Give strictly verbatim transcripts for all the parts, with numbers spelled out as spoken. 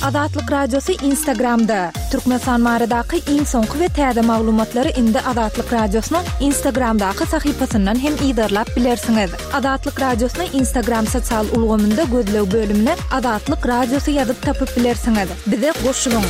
Azatlyk Radiosy Instagramda. Türkmenistan baradaky iň soňky we täze maglumatlary indi Azatlyk Radiosynyň Instagramdaky sahypasyndan hem yzarlap bilersiňiz. Azatlyk Radiosyny Instagram sosial ulgamynda gözleg bölümine Azatlyk Radiosy ýazyp tapyp bilersiňiz. Bize goşulyň.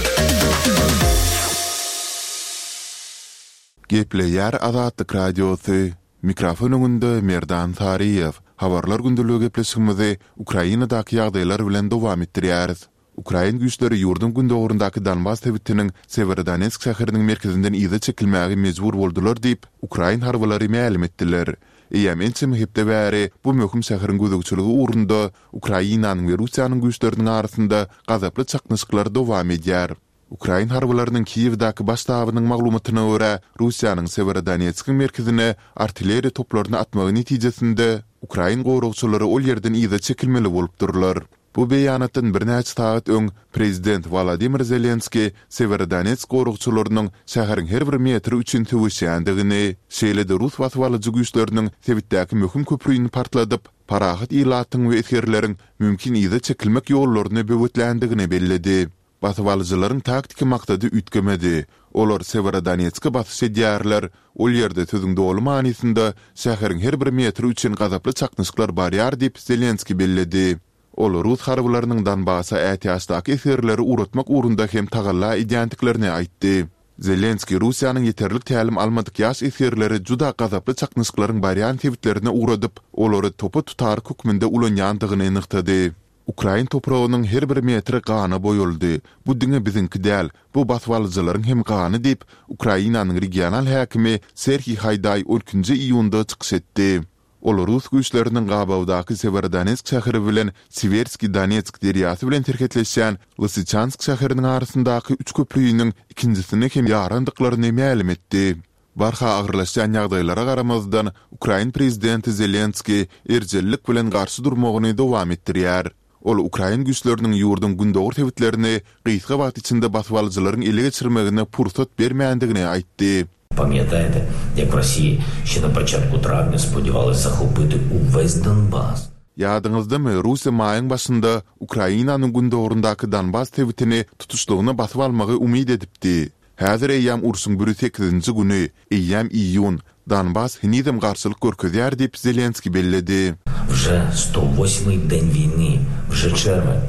Gepleýär Azatlyk Radiosy. Mikrofon öňünde Merdan Saryýew. Habarlar gündeligi gepleşigimizi Ukrainadaky ýagdaýlar bilen dowam etdirýäris. Ukrain güýçleri ýurduň gündogaryndaky Donbas sebitiniň Sewerodonetsk şäheriniň merkezinden yza çekilmäge mejbur boldular diýip, ukrain harbylary mälim etdiler. Eýýäm ençeme hepde bäri bu möhüm şäheriň gözegçiligi ugrunda Ukrainanyň we Russiýanyň güýçleriniň arasynda gazaply çaknyşyklar dowam edýär. Ukrain harbylarynyň Kiýewdäki baş ştabynyň maglumatyna görä, Russiýanyň Sewerodonetskiň merkezine artilleriýa toplaryny atmagy netijesinde ukrain goragçylary ol ýerden yza çekilmeli bolupdyrlar. Bu beýanatdan birnäçe sagat öň prezident Wolodymyr Zelenskiý Sewerodonetsk goragçylarynyň şäheriň her bir metri üçin söweşýändigini, şeýle-de rus basybalyjy güýçleriniň sebitdäki möhüm köprüni partladyp, parahat ilatyň we esgerleriň mümkin yza çekilmek ýollaryny böwetländigini belledi. Basybalyjylaryň taktiki maksady üýtgemedi. Olar Sewerodonetske basyş edýärler, ol ýerde sözüň doly manysynda şäheriň her bir metri üçin gazaply çaknyşyklar barýar diýip, Zelenskiý belledi. Ol rus harbylarynyň Donbasa ätiýaçdaky esgerleri ugratmak ugrunda hem tagalla edýändiklerini aýtdy. Zelenskiý Russiýanyň ýeterlik tälim almadyk ýaş esgerleri juda gazaply çaknyşyklaryň barýan sebitlerine ugradyp, olary topa tutaryk hökmünde ulanýandygyny nygtady. Ukrain topragynyň her bir metri gana boýaldy. Bu diňe biziňki däl, bu basybalyjylaryň hem gany diýip, Ukrainanyň regional häkimi Serhiý Haýdaý on ikinji iýunda çykyş etdi. Ol rus güýçleriniň gabawdaky Sewerodonetsk şäheri bilen Siwerskiý Donetsk derýasy bilen serhetleşýän Lysyçansk şäheriniň arasyndaky üç köprüniň ikinjisini hem ýarandyklaryny mälim etdi. Barha agyrlaşýan ýagdaýlara garamazdan, ukrain prezidenti Zelenskiý erjellik bilen garşy durmagyny dowam etdirýär. Ol ukrain güýçleriniň ýurduň gündogar sebitlerini gysga wagt içinde basybalyjylaryň ele geçirmegine pursat bermändigini aýtdy. Pamiętajte, jak w Rosji ще на початку травня сподівались захопити увесь Донбас. Ýadyňyzdamy, Russiýa maýyň başynda Ukrainanyň gündogaryndaky Donbas sebitini tutuşlygyna basyp almagy umyt edipdi. Häzir eýýäm urşuň bir ýüz sekizinji güni, eýýäm iýun, Donbas henizem garşylyk görkezýär diýip, Zelenskiý belledi. Wże sto восьмый день війни, wże червень.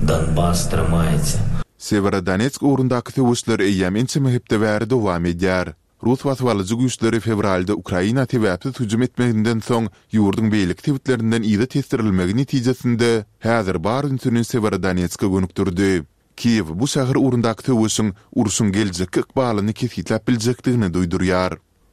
Donbas trzymaється. Sewerodonetsk ugrundaky söweşler eýýäm ençeme hepde bäri dowam edýär. Rus basybalyjy güýçleri fewralda Ukraina sebäpsiz hüjüm etmeginden soň ýurduň beýleki sebitlerinden yza tesdirilmegi netijesinde häzir bar ünsüni Sewerodonetske gönükdirdi. Kiýew bu şäher ugrundaky söweşiň urşuň geljekki ykbalyny kesgitläp biljekdigini duýdurýar.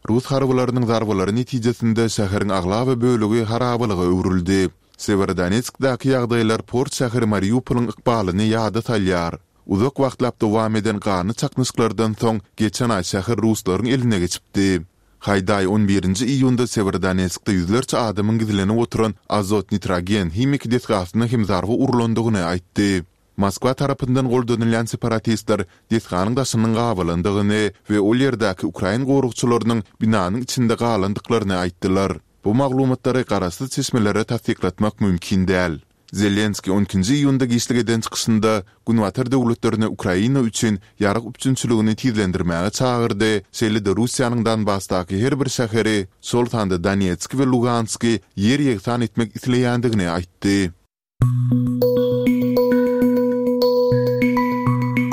Rus harbylarynyň zarbalary netijesinde şäheriň aglaba bölegi harabalyga öwrüldi. Sewerodonetskdäki ýagdaýlar port şäheri Mariupolyň ykbalyny ýada salýar. Uzak wagtlap dowam eden ganly çaknyşyklardan soň geçen aý şäher ruslaryň eline geçipdi. Haýdaý on birinji iýunda Sewerodonetskde ýüzlerçe adamyň gizlenip oturan azot nitrogen himiki desgasyna hem zarba urlandygyny aýtdy. Moskwa tarapyndan goldanylýan separatistler desganyň daşynyň gabalandygyny we ol ýerdäki ukrain goragçylarynyň binanyň içinde galandyklaryny aýtdylar. Bu maglumatlary garaşsyz çeşmelere tassyklatmak mümkin däl. Zelenskiý on ikinji iýunda giçlik eden çykyşynda Günbatar döwletlerini Ukraina üçin ýarag üpjünçiligini tizlendirmäge çagyrdy, şeýle-de Russiýanyň Donbasdaky her bir şäheri, şol sanda Donetsk we Lugansky ýer ýegsan etmek isleýändigini aýtdy.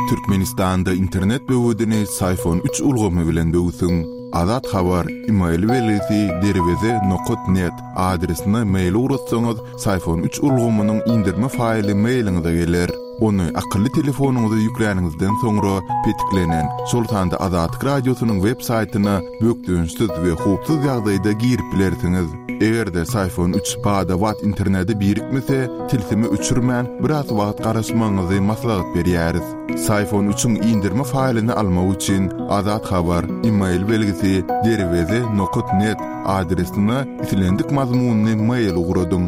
Türkmenistanda internet böwedini Syfon üç ulgamy bilen böwsüň. Azat Habar, email belgisi derweze nokat net adresine mail ugratsaňyz, Syfon üç ulgamynyň indirme faýly mailiňize geler. Ony akylly telefonyňyza ýükläniňizden soňra petiklenen, şol sanda Azatlyk Radiosynyň web saýtyna bökdençsiz we howpsuz ýagdaýda girip bilersiňiz. Eger-de Syfon üç bada-bat internete birikmese, tilsimi öçürmän, biraz wagt garaşmagyňyzy maslahat berýäris. Syfon üçiň indirme faýlyny almak üçin Azat Habar, email belgisi derweze nokat net adresine islendik mazmunyny mail ugradyň.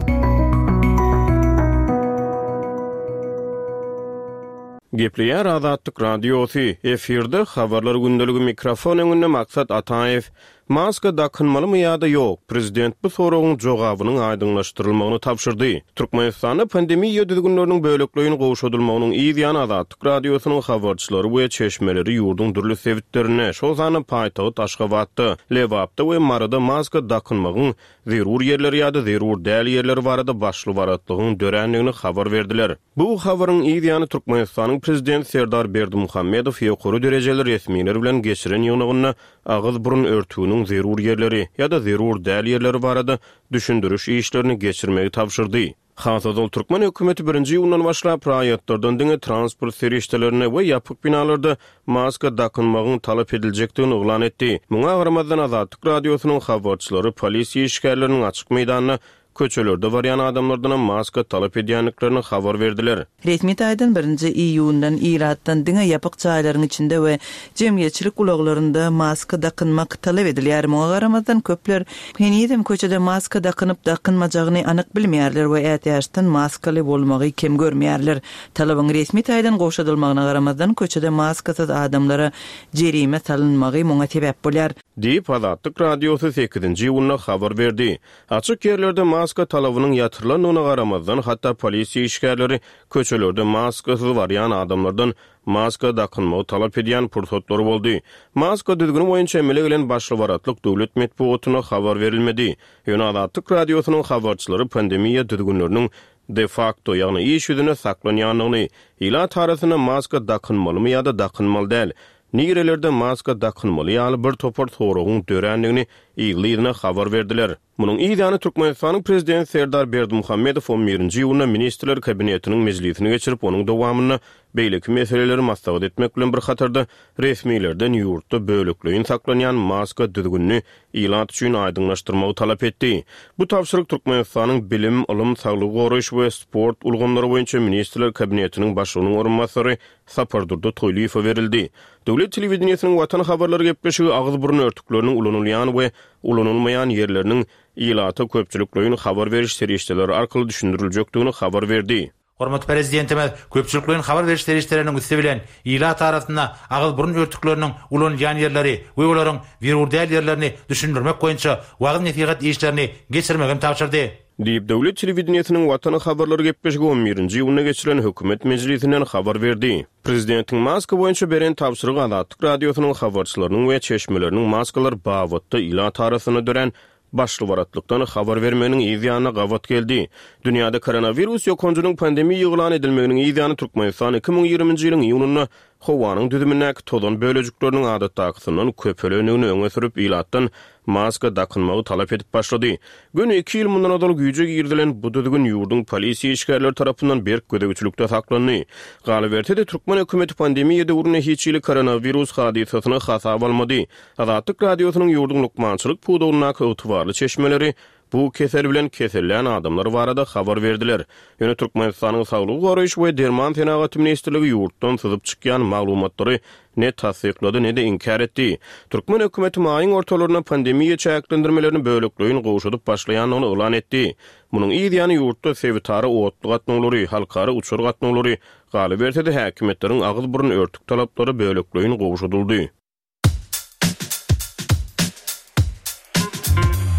Gepleýär Azatlyk Radiosy, efirde habarlar gündeligi mikrofon öňünde Maksat Ataýew. Maska dakynmalymy ýa-da ýok? Prezident bu soragyň jogabynyň aýdyňlaşdyrylmagyny tabşyrdy. Türkmenistanda pandemiýa düzgünleriniň bölekleýin gowşadylmagynyň yz ýany Azatlyk Radiosynyň habarçylary we çeşmeleri ýurduň dürli sebitlerinde, şol sanda paýtagt Aşgabatda, Lebapda we Maryda maska dakynmagyň zerur ýerleri ýa-da zerur däl ýerleri barada başly-baratlygyň dörändigini habar berdiler. Bu habaryň yz ýany Türkmenistanyň Prezidenti Serdar Berdimuhamedow ýokary derejeli resmiler bilen geçiren ýygnagynda agyz-burun örtüginiň zerur ýerleri ýa-da zerur däl ýerleri barada düşündiriş işlerini geçirmegi tabşyrdy. Has ozal türkmen hökümeti birinji iýundan başlap raýatlardan diňe transport serişdelerinde we ýapyk binalarda maska dakynmagyň talap ediljekdigini yglan etdi. Muňa garamazdan Azatlyk Radiosynyň habarçylary polisiýa işgärleriniň açyk meýdanda köçelerde barýan adamlardanam maska talap edýändiklerini habar berdiler. Resmi taýdan birinji iýundan ilatdan diňe ýapyk jaýlaryň içinde we jemgyýetçilik ulaglarynda maska dakynmak talap edilýär. Muňa garamazdan köpler henizem köçede maska dakynyp dakynmajagyny anyk bilmeýärler we ätiýaçdan maskaly bolmagy kem görmeýärler. Talabyň resmi taýdan gowşadylmagyna garamazdan köçede maskasyz adamlara jerime salynmagy muňa sebäp bolýar. Diýip Azatlyk Radiosy sekizinji iýunda habar berdi. Açyk ýerlerde maska talabynyň ýatyrylandygyna garamazdan hatda polisiýa işgärleri köçelerde maskasyz barýan adamlardan maska dakynmagy talap edýän pursatlary boldy. Maska düzgüni boýunça emele gelen başly-baratlyk döwlet metbugatyna habar berilmedi. Ýöne Azatlyk Radiosynyň habarçylary pandemiýa düzgünleriniň de facto, ýagny iş ýüzüne saklanýandygyny, ilat arasynda maska dakynmalymy ýa-da dakynmaly däl, nirelerde maska dakynmaly ýaly bir topar soragyň dörändigini ýygy-ýygyna habar berdiler. Munuň yz ýany Türkmenistanyň Prezidenti Serdar Berdimuhamedow on birinji iýunda Ministrler Kabinetiniň mejlisini geçirip, onuň dowamynda beýleki meseleleri maslahat etmek bilen bir hatarda resmilerden ýurtda bölekleýin saklanýan maska düzgünini ilat üçin aýdyňlaşdyrmagy talap etdi. Bu tabşyryk Türkmenistanyň Bilim, Ylym, Saglygy goraýyş we sport ulgamlary boýunça Ministrler Kabinetiniň başlygynyň orunbasary Sapardurdy Toýlyýewe berildi. Döwlet telewideniýesiniň Watan habarlary gepleşigi agyz-burun örtükleriniň ulanylýan we ulanylmaýan ýerleriniň ilata köpçülikleýin habar beriş serişdeleri arkaly düşündiriljekdigini habar berdi. Hormatly Prezidentimiz köpçülikleýin habar beriş serişdeleriniň üsti bilen ilat arasynda agyz-burun örtükleriniň ulanylýan ýerleri we olaryň zerur däl ýerlerini düşündirmek boýunça wagyz-nesihat işlerini geçirmegi hem tabşyrdy. Diýip, döwlet telewideniýesiniň Watan habarlary gepleşigi on birinji iýunda geçirilen hökümet mejlisinden habar berdi. Prezidentiň maska boýunça beren tabşyrygy Azatlyk Radiosynyň habarçylarynyň we çeşmeleriniň maskalar babatda ilat arasynda dörän başly-baratlykdan habar bermeginiň yz ýanyna gabat geldi. Dünýäde koronawirus ýokanjynyň pandemiýa yglan edilmeginiň yz ýany Türkmenistan iki müň ýigriminji ýylyň iýunynda howanyň düzümindäki tozan bölejikleriniň adatdakysyndan köpelendigini öňe sürüp, ilatdan maska dakynmagy talap edip başlady. Göni iki ýyl mundan ozal güýje girizilen bu düzgün ýurduň polisiýa işgärleri tarapyndan berk gözegçilikde saklandy. Galyberse-de, türkmen hökümeti pandemiýa döwründe hiç hili koronawirus hadysasyny hasaba almady. Azatlyk Radiosynyň ýurduň lukmançylyk pudagyndaky ygtybarly çeşmeleri bu kesel bilen kesellän adamlar barada habar berdiler. Ýöne Türkmenistanyň Saglygy goraýyş we derman senagaty ministrligi ýurtdan syzyp çykýan maglumatlary ne tassyklady, ne-de inkär etdi. Türkmen hökümeti maýyň ortalarynda pandemiýa çäklendirmelerini bölekleýin gowşadyp başlaýandygyny yglan etdi. Munuň yz ýany ýurtda sebitara otly gatnawlary, halkara uçar gatnawlary, galyberse-de häkimiýetleriň agyz-burun örtük talaplary bölekleýin gowşadyldy.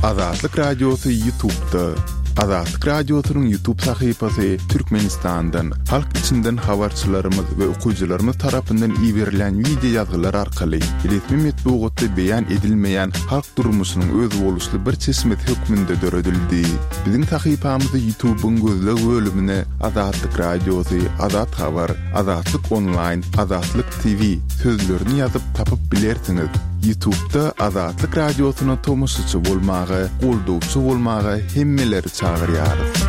Azatlyk Radiosy YouTube'da. Azatlyk Radiosynyň YouTube sahypasy Türkmenistandan, halk içinden habarçylarymyz we okyjylarymyz tarapyndan iberilen video ýazgylar arkaly resmi metbugatda beýan edilmeýän halk durmuşynyň özboluşly bir çeşmesi hökmünde döredildi. Biziň sahypamyzy YouTube'yň gözleg bölümine Azatlyk Radiosy, Azat Habar, Azatlyk Online, Azatlyk T V sözlerini ýazyp tapyp bilersiňiz. YouTube'da Azatlyk Radiosyna tomaşaçy bolmaga, goldawçy bolmaga hemmeleri çagyrýarys.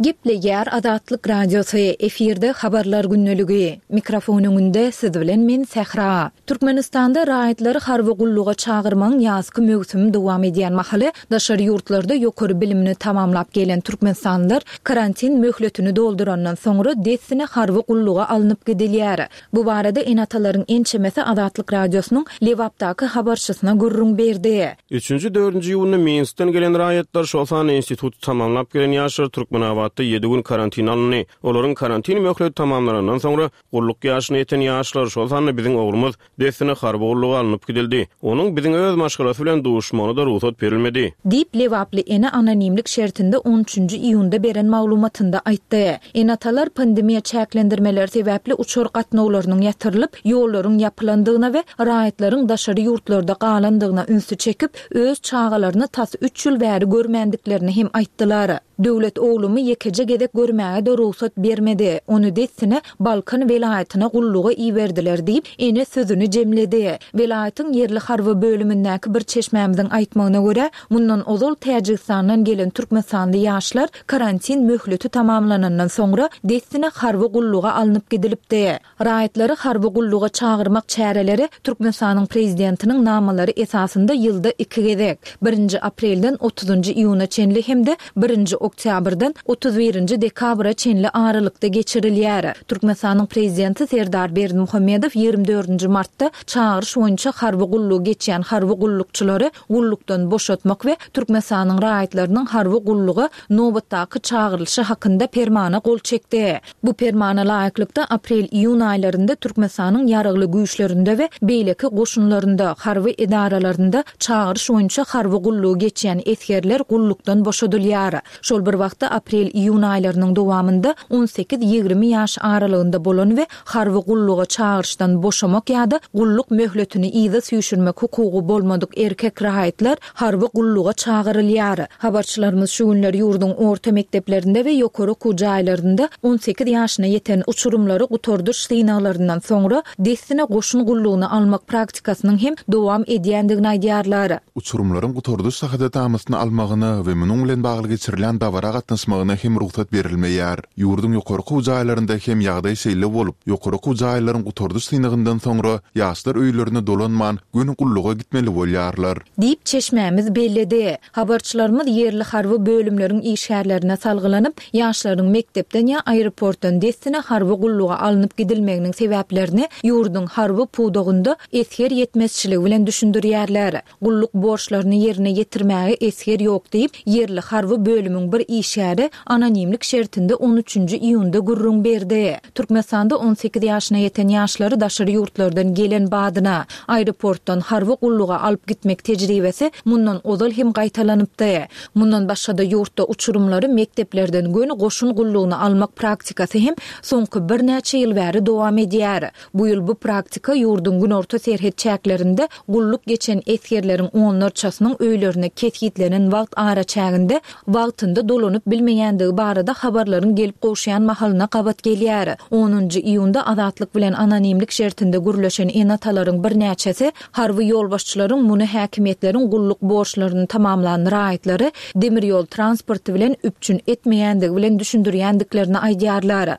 Gepleýär Azatlyk Radiosy, efirde habarlar gündeligi. Mikrofon öňünde siz bilen men Sähra. Türkmenistanda raýatlary harby gulluga çagyrmagyň ýazky möwsümi dowam edýän mahaly daşary ýurtlarda ýokary bilimini tamamlap gelen türkmenistanlylar karantin möhletini doldurandan soňra dessine harby gulluga alnyp gidilýär. Bu barada ene-atalaryň ençemesi Azatlyk Radiosynyň Lebapdaky habarçysyna gürrüň berdi. Üçünji, dördünji iýunda Minskden gelen raýatlar şol sanda instituty tamamlap gelen ýaşlar Türkmenabatda Aşgabatda ýedi gün karantina alyndy. Olaryň karantin möhleti tamamlanandan soňra gulluk ýaşyna ýeten ýaşlar, şol sanda biziň oglumyz dessine harby gulluga alnyp gidildi. Onuň biziň öz maşgalasy bilen duşmagyna-da rugsat berilmedi. Diýip, lebaply ene anonimlik şertinde on üçünji iýunda beren maglumatynda aýtdy. Ene-atalar pandemiýa çäklendirmeleri sebäpli uçar gatnawlarynyň ýatyrylyp, ýollaryň ýapylandygyna we raýatlaryň daşary ýurtlarda galandygyna ünsi çekip, öz çagalaryny tas üç ýyl bäri görmändiklerini hem aýtdylar. Döwlet oglumy ýekeje gezek görmäge-de rugsat bermedi. Ony dessine Balkan welaýatyna gulluga iberdiler diýip, ene sözüni jemledi. Welaýatyň ýerli harby bölümindäki bir çeşmämiziň aýtmagyna görä, mundan ozal Täjigistandan gelen Türkmenistanly ýaşlar karantin möhleti tamamlanandan soňra dessine harby gulluga alnyp gidilipdi. Raýatlary harby gulluga çagyrmak çäreleri Türkmenistanyň prezidentiniň namalary esasynda ýylda iki gezek, birinji aprelden otuzynjy iýuna çenli hem-de birinji oktýabrdan otuz birinji dekabra çenli aralykda geçirilýär. Türkmenistanyň prezidenti Serdar Berdimuhamedow ýigrimi dördünji martda çagyryş boýunça harby gullugy geçýän harby gullukçylary gullukdan boşatmak we Türkmenistanyň raýatlarynyň harby gulluga nobatdaky çagyrylyşy hakynda permana gol çekdi. Bu permana laýyklykda aprel-iýun aýlarynda Türkmenistanyň ýaragly güýçlerinde we beýleki goşunlarynda, harby edaralarynda çagyryş boýunça harby gullugy geçýän esgerler gullukdan boşadylýar. Şol bir wagtda aprel-iýun aýlarynyň dowamynda on sekiz-ýigrimi ýaş aralygynda bolan we harby gulluga çagyryşdan boşamak ýa-da gulluk möhletini yza süýşürmek hukugy bolmadyk erkek raýatlar harby gulluga çagyrylýar. Habarçylarymyz şu günler ýurduň orta mekdeplerinde we ýokary okuw jaýlarynda on sekiz ýaşyna ýeten uçurymlary gutardyş synaglaryndan soňra dessine goşun gullugyny almak praktikasynyň hem dowam edýändigini aýdýarlar. Uçurymlaryň gutardyş şahadatnamasyny almagyna we munuň bilen bagly geçirilen dabara gatnaşmagyna hem rugsat berilmeýär. Ýurduň ýokary okuw jaýlarynda hem ýagdaý şeýle bolup, ýokary okuw jaýlaryň gutardyş synagyndan soňra ýaşlar öýlerine dolanman göni gulluga gitmeli bolýarlar. Diýip çeşmämiz belledi. Habarçylarymyz ýerli harby bölümleriň işgärlerine salgylanyp, ýaşlaryň mekdepden ýa aeroportdan dessine harby gulluga alnyp gidilmeginiň sebäplerini ýurduň harby pudagynda esger ýetmezçiligi bilen düşündirýärler. Gulluk borçlaryny ýerine ýetirmäge esger ýok diýip, ýerli harby bölümiň bir işgäri anonimlik şertinde on üçünji iýunda gürrüň berdi. Türkmenistanda on sekiz ýaşyna ýeten ýaşlary daşary ýurtlardan gelen badyna aeroportdan harby gulluga alyp gitmek tejribesi mundan ozal hem gaýtalanypdy. Mundan başga-da ýurtda uçurymlary mekdeplerden göni goşun gullugyny almak praktikasy hem soňky birnäçe ýyl bäri dowam edýär. Bu ýyl bu praktika ýurduň günorta serhet çäklerinde gulluk geçen esgerleriň onlarçasynyň öýlerine kesgitlenen wagt araçäginde wagtynda dolanyp bilmeýändigi barada habarlaryň gelip gowşaýan mahalyna gabat gelýär. Onunjy iýunda Azatlyk bilen anonimlik şertinde gürleşen ene-atalaryň birnäçesi harby ýolbaşçylaryň muny häkimiýetleriň gulluk borçlaryny tamamlan raýatlary demir ýol transporty bilen üpjün etmeýändigi bilen düşündirýändiklerini aýdýarlar.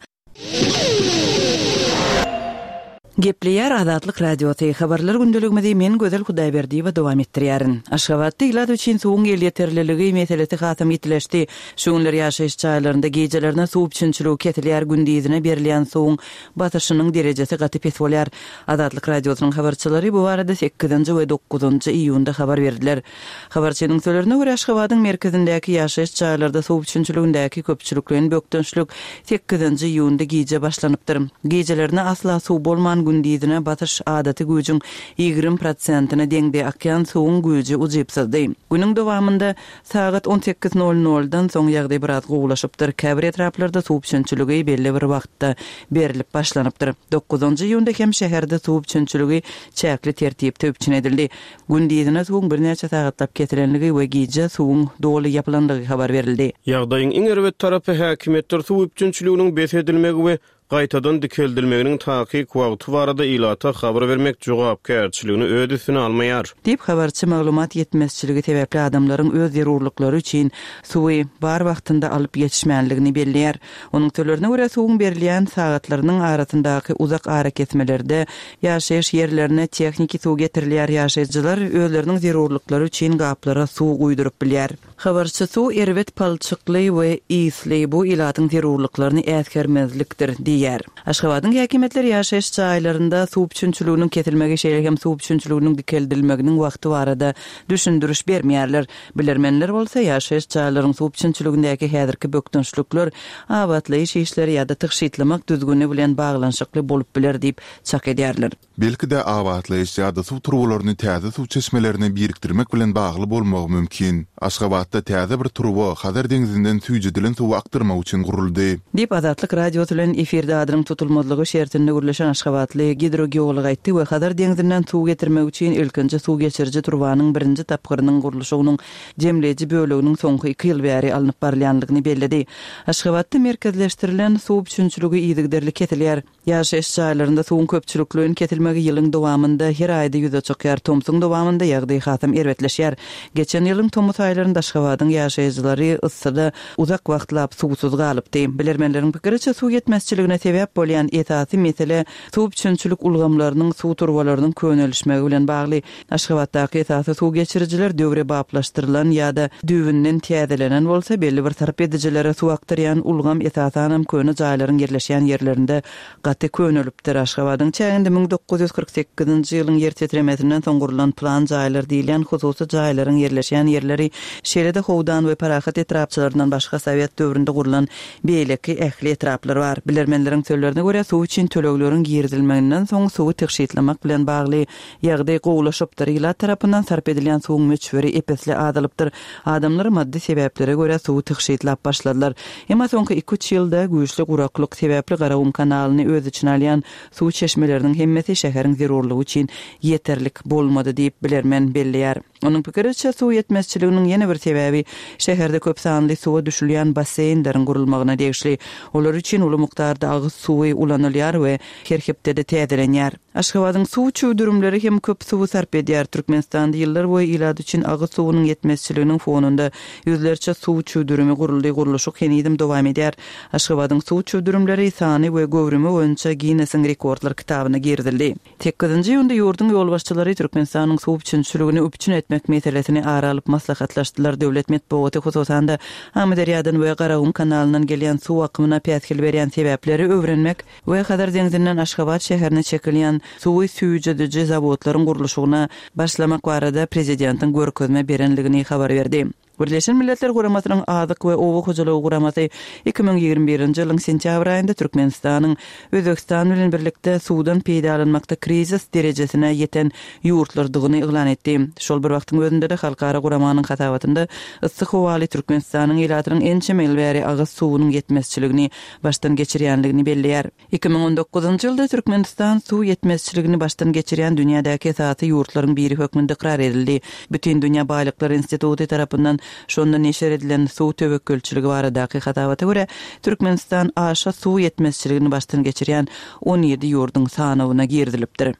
Gepleýär Azatlyk Radiosy. Habarlar gündeligimizi men Gözel Hudaýberdiýewa dowam etdirýärin. Aşgabatda ilat üçin suwuň elýeterliligi meselesi hasam ýitileşdi. Şu günler ýaşaýyş jaýlarynda gecelerine suw üpjünçiligi kesilýär, gündizine berilýän suwuň basyşynyň derejesi gaty pes bolýar. Azatlyk Radiosynyň habarçylary bu barada sekizinji we dokuzynjy iýunda habar berdiler. Habarçynyň sözlerine görä Aşgabadyň merkezindäki ýaşaýyş jaýlarda suw üpjünçiligindäki köpçülikleýin bökdençlik sekizinji iýunda gije başlanypdyr. Gecelerine asla suw bolman gündizine basyş adaty güýjüň ýigrimi prosentine deňde akýan suwuň güýji ujypsyzdy. Günüň dowamynda sagat on sekiz nol noldan soň ýagdaý biraz gowulaşypdyr. Käbir etraplarda suw üpjünçiligi belli bir wagtda berilip başlanypdyr. Dokuzynjy iýunda hem şäherde suw üpjünçiligi çäkli tertipde üpjün edildi. Gündizine suwuň birnäçe sagatlap kesilenligi we gije suwuň doly ýapylanlygy habar berildi. Ýagdaýyň iň erbet tarapy häkimiýetler suw üpjünçiliginiň bes edilmegi we gaýtadan dikeldilmeginiň takyk wagty barada ilata habar bermek jogapkärçiligini öz üstüne almaýar. Diýip habarçy maglumat ýetmezçiligi sebäpli adamlaryň öz zerurlyklary üçin suwy bar wagtynda alyp ýetişmänligini belleýär. Onuň sözlerine görä suwuň berilýän sagatlarynyň arasyndaky uzak arakesmelerde ýaşaýyş ýerlerine tehniki suw getirilýär. Ýaşaýjylar özleriniň zerurlyklary üçin gaplara suw guýduryp bilýär. Habarçy suw erbet palçykly we ýyly bu ilatyň zerurlyklaryny äsgermezlikdir diýýär. diýýär. Aşgabadyň häkimiýetleri ýaşaýyş jaýlarynda suw üpjünçiliginiň kesilmegi, şeýle hem suw üpjünçiliginiň dikeldilmeginiň wagty barada düşündiriş bermeýärler. Bilermenler bolsa ýaşaýyş jaýlaryň suw üpjünçiligindäki häzirki bökdençlikler abatlaýyş işleri ýa-da tygşytlamak düzgüni bilen baglanyşykly bolup biler diýip çak edýärler. Belki-de abatlaýyş ýa-da suw turbalaryny täze suw çeşmelerine birikdirmek bilen bagly bolmagy mümkin. Aşgabatda täze bir turba Hazar deňzinden süýjedilen suwy akdyrmak üçin guruldy. Diýip, Azatlyk Radiosy bilen efirde adynyň tutulmazlygy şertinde gürleşen aşgabatly gidrogeolog aýtdy we Hazar deňzinden suw getirmek üçin ilkinji suw geçiriji turbanyň birinji tapgyrynyň gurluşygynyň jemleýji böleginiň soňky iki ýyl bäri alnyp barylýanlygyny belledi. Aşgabatda merkezleşdirilen suw üpjünçiligi yzygiderli kesilýär. Ýaşaýyş jaýlarynda suwuň köpçülikleýin kesilmegi ýylyň dowamynda her aýda ýüze çykýar. Tomsuň dowamynda ýagdaý hasam erbetleşýär. Geçen ýylyň tomus aýlarynda Aşgabadyň ýaşaýjylary yssyda uzak wagtlap suwsuz galypdy. Bilermenleriň pikiriçe, suw ýetmezçiligine sebäp bolýan esasy mesele suw üpjünçilik ulgamlarynyň suw turbalarynyň könelişmegi bilen bagly. Aşgabatdaky esasy suw geçirijiler döwrebaplaşdyrylan ýa-da düýbünden täzelenen bolsa, belli bir sarp edijilere suw akdyrýan ulgam esasanam köne jaýlaryň ýerleşýän ýerlerinde gaty könelipdir. Aşgabadyň çäginde müň dokuz ýüz kyrk sekizinji ýylyň ýer titremesinden soň gurlan plan jaýlar diýilýän hususy jaýlaryň ýerleşýän ýerleri, şeýle-de Howdan we Parahat etrapçalaryndan başga sowet döwründe gurlan beýleki ähli etraplar bar. Bilermenleriň sözlerine görä, suw üçin tölegleriň girizilmeginden soň suwy tygşytlamak bilen bagly ýagdaý gowulaşypdyr. Ilat tarapyndan sarp edilýän suwuň möçberi ep-esli azalypdyr. Adamlar maddy sebäplere görä suwy tygşytlap başladylar. Emma soňky iki-üç ýylda güýçli guraklyk sebäpli Garagum kanalyny öz içine alýan suw çeşmeleriniň hemmesi şäheriň zerurlygy üçin ýeterlik bolmady diýip bilermen belleýär. Onuň pikiriçe, suw ýetmezçiliginiň ýene bir sebäbi şäherde köp sanly suwa düşülýän basseýnleriň gurulmagyna degişli. Olar üçin uly mukdarda agyz suwy ulanylýar we her hepdede täzelenýär. Aşgabadyň suw çüwdürimleri hem köp suwy sarp edýär. Türkmenistanda ýyllar boýy ilat üçin agyz suwunyň ýetmezçiliginiň fonunda ýüzlerçe suw çüwdürimi guruldy, gurluşyk henizem dowam edýär. Aşgabadyň suw çüwdürimleri sany we göwrümi boýunça Ginnesiň rekordlar kitabyna girizildi. Sekizinji iýunda ýurduň ýolbaşçylary Türkmenistanyň suw üpjünçiligini üpjün etmek meselesini ara alyp maslahatlaşdylar. Döwlet metbugaty hususan-da Amyderýadan we Garagum kanalyndan gelýän suw akymyna päsgel berýän sebäpleri öwrenmek we Hazar deňzinden Aşgabat şäherine çekilýän suwy süýjediji zawodlaryň gurluşygyna başlamak barada prezidentiň görkezme berenligini habar berdi. Birleşen Milletler Guramasynyň Azyk we Oba hojalygy guramasy iki müň ýigrimi birinji ýylyň sentýabr aýynda Türkmenistanyň Özbegistan bilen birlikde suwdan peýdalanmakda krizis derejesine ýeten ýurtlardygyny yglan etdi. Şol bir wagtyň özünde-de halkara guramanyň hasabatynda yssy howaly Türkmenistanyň ilatynyň ençeme ýyl bäri agyz suwunyň ýetmezçiligini başdan geçirýänligini belleýär. Iki müň on dokuzynjy ýylda Türkmenistan suw ýetmezçiligini başdan geçirýän dünýädäki esasy ýurtlaryň biri hökmünde ykrar edildi. Bütindünýä Baýlyklar Instituty tarapyndan şonda neşir edilen suw töwekgelçiligi baradaky hasabata görä, Türkmenistan aşa suw ýetmezçiligini başdan geçirýän on ýedi ýurduň sanawyna girizilipdir.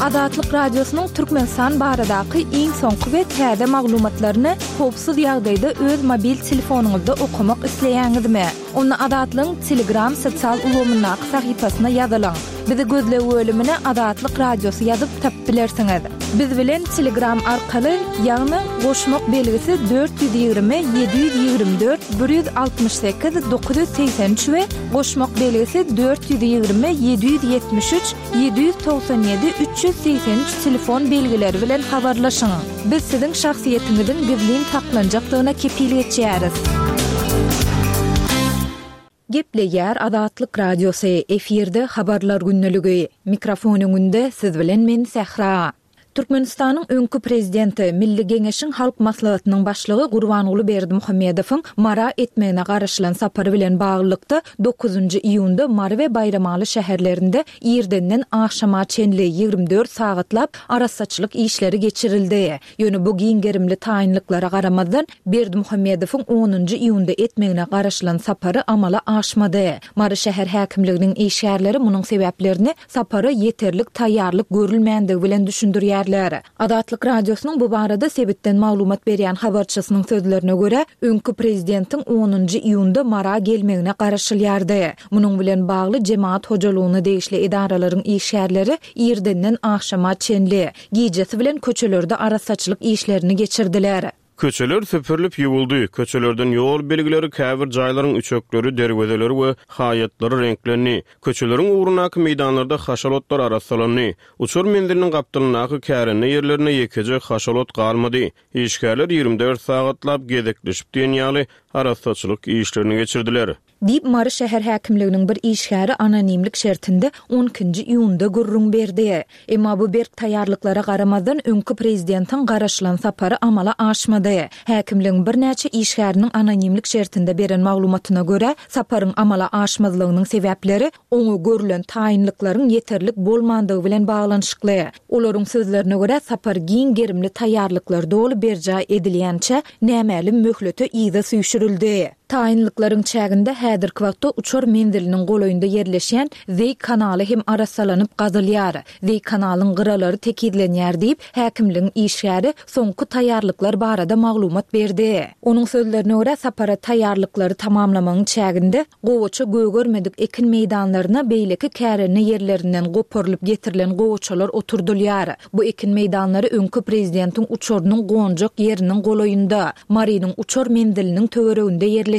Azatlyk Radiosynyň Türkmenistan baradaky iň soňky we täze maglumatlaryny howpsuz ýagdaýda öz mobil telefonyňyzda okamak isleýäňizmi? Onda Azatlygyň Telegram sosial ulgamyndaky sahypasyna ýazylyň. Bizi gözleg bölümine Azatlyk Radiosy ýazyp tapyp bilersiňiz. Biz bilen Telegram arkaly, ýagny goşmak belgisi dört ýüz ýigrimi, ýedi ýüz ýigrimi dört, bir ýüz altmyş sekiz, dokuz ýüz segsen üç we goşmak belgisi dört ýüz ýigrimi, ýedi ýüz ýetmiş üç, ýedi ýüz togsan ýedi, üç ýüz segsen üç telefon belgileri bilen habarlaşyň. Biz siziň şahsyýetiňiziň gizlin saklanjakdygyna kepil geçýäris. Gepleýär Azatlyk Radiosy, efirde habarlar gündeligi. Mikrofon öňünde siz bilen men Sähra. Türkmenistanyň öňki prezidenti, Milli Geňeşiň Halk Maslahatynyň başlygy Gurbanguly Berdimuhamedowyň Mara etmegine garaşylan sapary bilen baglylykda dokuzynjy iýunda Mary we Baýramaly şäherlerinde irdenden agşama çenli ýigrimi dört sagatlap arassaçylyk işleri geçirildi. Ýöne bu giň gerimli taýynlyklara garamazdan Berdimuhamedowyň onunjy iýunda etmegine garaşylan sapary amala aşmady. Mary şäher häkimliginiň işgärleri munuň sebäplerini sapara ýeterlik taýýarlyk görülmändigi bilen düşündirýärler. Azatlyk Radiosynyň bu barada sebitden maglumat berýän habarçysynyň sözlerine görä, öňki prezidentiň onunjy iýunda Mara gelmegine garaşylýardy. Munuň bilen bagly jemaat hojalygyna degişli edaralaryň işgärleri irdenden agşama çenli, gijesi bilen köçelerde arassaçylyk işlerini geçirdiler. Köçeler süpürilip ýuwuldy, köçelerden ýol belgileri, käbir jaýlaryň üçekleri, derwezeleri we haýatlary reňklendi. Köçeleriň ugrundaky meýdanlarda haşal otlar arassalandy. Uçar menziliniň gapdalyndaky kärende ýerlerinde ýekeje haşal ot galmady. Işgärler ýigrimi dört sagatlap gezekleşip diýen ýaly arassaçylyk işlerini geçirdiler. Diýip, Mary şäher häkimliginiň bir işgäri anonimlik şertinde on ikinji iýunda gürrüň berdi. Emma bu berk taýýarlyklara garamazdan öňki prezidentiň garaşylan sapary amala aşmady. Häkimligiň birnäçe işgäriniň anonimlik şertinde beren maglumatyna görä, saparyň amala aşmazlygynyň sebäpleri oňa görülen taýynlyklaryň ýeterlik bolmandygy bilen baglanyşykly. Olaryň sözlerine görä, sapar giň gerimli taýýarlyklar doly berjaý edilýänçä nämälim möhlete yza süýşürildi. Taýynlyklaryň çäginde häzirki wagtda uçar menziliniň golaýynda ýerleşýän Zeý kanaly hem arassalanyp gazylýar. Zeý kanalyň gyralary tekizlenýär diýip, häkimligiň işgäri soňky taýýarlyklar barada maglumat berdi. Onuň sözlerine görä, sapara taýýarlyklary tamamlamagyň çäginde gowaça gögermedik ekin meýdanlaryna beýleki kärende ýerlerinden goparylyp getirilen gowaçalar oturdylýar. Bu ekin meýdanlary öňki prezidentiň uçarynyň gonjak ýeriniň golaýynda, Marynyň uçar menziliniň töwereginde ýerleşýär.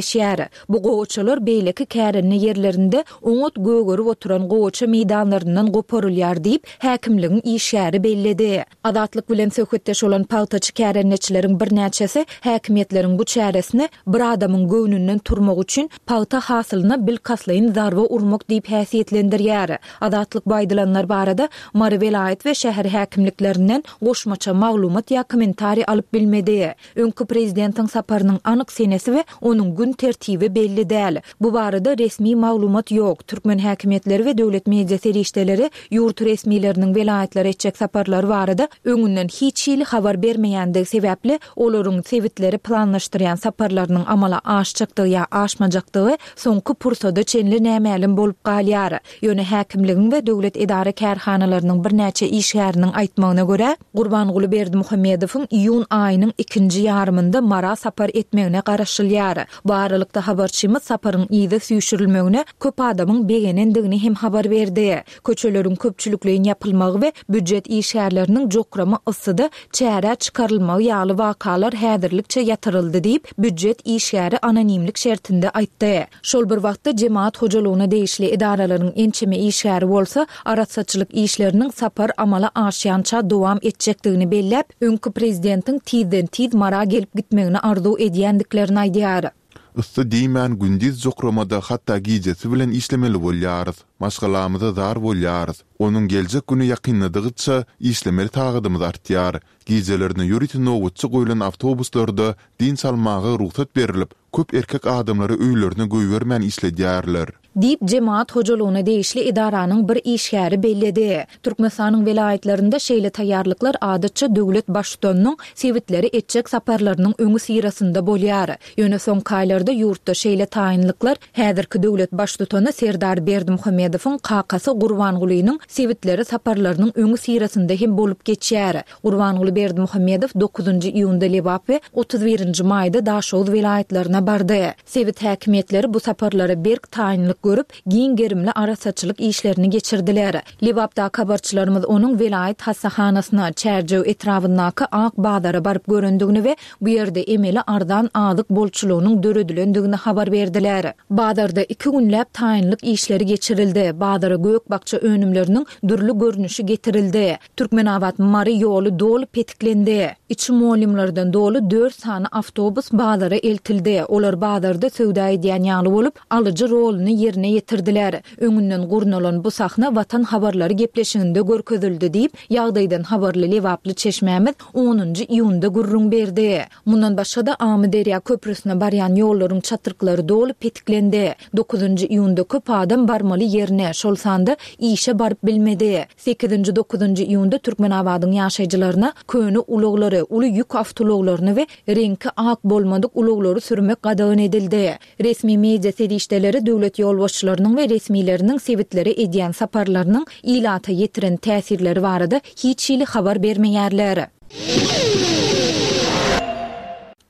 Bu gowaçalar beýleki kärende ýerlerinde oňat gögerip oturan gowaça meýdanlaryndan goparylýar diýip, häkimligiň işgäri belledi. Azatlyk bilen söhbetdeş bolan pagtaçy kärendeçileriň birnäçesi häkimiýetleriň bu çäresini bir adamyň göwnünden turmak üçin pagta hasylyna bilkastlaýyn zarba urmak diýip häsiýetlendirýär. Azatlyk bu aýdylanlar barada Mary welaýat we şäher häkimliklerinden goşmaça maglumat ýa kommentariý alyp bilmedi. Öňki prezidentiň saparynyň anyk senesi we onuň gün tertibi belli däl. Bu barada resmi maglumat ýok. Türkmen häkimiýetleri we döwlet media serişdeleri ýurt resmileriniň welaýatlara etjek saparlary barada öňünden hiç hili habar bermeýändigi sebäpli olaryň sebitleri planlaşdyrýan saparlarynyň amala aşjakdygy ýa aşmajakdygy soňky pursada çenli nämälim bolup galýar. Ýöne häkimligiň we döwlet edara kärhanalarynyň birnäçe işgäriniň aýtmagyna görä, Gurbanguly Berdimuhamedowyň iýun aýynyň ikinji ýarymynda Mara sapar etmegine garaşylýar. Bu aralykda habarçymyz saparyň yza süýşürilmegine köp adamyň begenendigini hem habar berdi. Köçeleriň köpçülikleýin ýapylmagy we býujet işgärleriniň jokrama yssyda çärä çykarylmagy ýaly wakalar häzirlikçe ýatyryldy diýip, býujet işgäri anonimlik şertinde aýtdy. Şol bir wagtda jemaat hojalygyna degişli edaralaryň ençeme işgäri bolsa, arassaçylyk işleriniň sapar amala aşýança dowam etjekdigini belläp, öňki prezidentiň tizden-tiz Mara gelip gitmegini arzuw edýändiklerini aýdýar. Yssy diýmän gündiz jokramada hatda gijesi bilen işlemeli bolýarys. Maşgalamyza zar bolýarys. Onuň geljek güni ýakynladygyça işlemeli sagadymyz artýar. Gijelerine ýörite nobatçy goýlan awtobuslarda dynç almaga rugsat berilip, köp erkek adamlary öýlerine goýbermän işledýärler. Diýip, jemaat hojalygyna degişli edaranyň bir işgäri belledi. Türkmenistanyň welaýatlarynda şeýle taýýarlyklar adatça döwlet baştutanynyň sebitleri etjek saparlarynyň öňi syrasynda bolýar. Ýöne soňky aýlarda ýurtda şeýle taýynlyklar häzirki döwlet baştutany Serdar Berdimuhamedowyň kakasy Gurbangulynyň sebitleri saparlarynyň öňi syrasynda hem bolup geçýär. Gurbanguly Berdimuhamedow dokuzynjy iýunda Lebap we otuz birinji maýda Daşoguz welaýatlaryna bardy. Sebit häkimiýetleri bu saparlara berk taýynlyk görüp, giň gerimli arassaçylyk işlerini geçirdiler. Lebapdaky habarçylarymyz onuň welaýat hassahanasyna, Çärjew etrabyndaky Ak bazara baryp görendigini we bu ýerde emeli arzan azyk bolçulygynyň döredilendigini habar berdiler. Bazarda iki günläp taýynlyk işleri geçirildi. Bazara gök bakja önümleriniň dürli görnüşi getirildi. Türkmenabat Mary ýoly doly petiklendi. Içi molymlardan doly dört sany awtobus bazara eltildi. Olar bazarda söwda edýän ýaly bolup, alyjy roluny ýerine ýetirdiler. Öňünden gurnalan bu sahna Watan habarlary gepleşiginde görkezildi diýip, ýagdaýdan habarly Lebaply çeşmämiz onunjy iýunda gürrüň berdi. Mundan başga-da Amyderýa köprüsine barýan ýollaryň çatryklary doly petiklendi. Dokuzynjy iýunda köp adam barmaly ýerine, şol sanda işe baryp bilmedi. Sekizinji, dokuzynjy iýunda Türkmenabadyň ýaşaýjylaryna köne ulaglary, uly ýük awtoulaglaryny we reňki ak bolmadyk ulaglary sürmek gadagan edildi. Resmi media serişdeleri döwlet ýolbaşçylarynyň we resmileriniň sebitlere edýän saparlarynyň ilata ýetiren täsirleri barada hiç hili habar bermeýärler.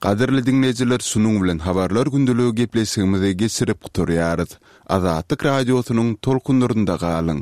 Gadyrly dinleýjiler, şunuň bilen habarlar gündeligi gepleşigimizi geçirip gutarýarys. Azatlyk radiosynyň tolkunlarynda galyň.